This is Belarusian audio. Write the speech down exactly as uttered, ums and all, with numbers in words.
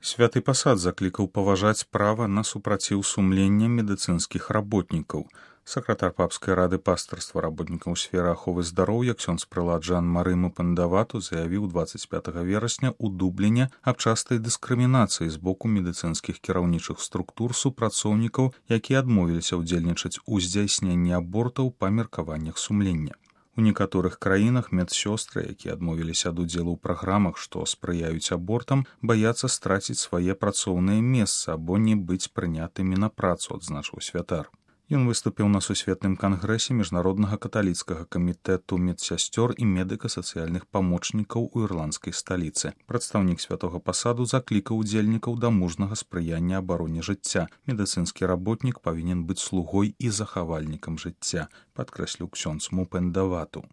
Святы пасад заклікаў паважаць права на супраціў сумлення медыцынскіх работнікаў. Сакратар папскай рады пастырства работнікаў сферы аховы здароўя ксёндз прылад Жан-Мары Мупендавату заявіў дваццаць пятага верасня ў Дубліне аб частай дыскрымінацыі з боку медыцынскіх кіраўнічых структур супрацоўнікаў, якія адмовіліся ўдзельнічаць у здзяйсненні абортаў па меркаваннях сумлення. У некаторых краінах медсёстры, якія адмовіліся ад удзелу ў праграмах, што спрыяюць абортам, баяцца страціць свае працоўныя месцы або не быць прынятымі на працу, адзначыў святар. Ён выступіў на сусветным кангрэсе міжнароднага каталіцкага камітэту медсясцёр і медыка-сацыяльных памочнікаў у ірландскай сталіцы. Прадстаўнік святога пасаду заклікаў удзельнікаў да мужнага спрыяння абароне жыцця. Медыцынскі работнік павінен быць слугой і захавальнікам жыцця, падкрэсліў ксёндз Мупендавату.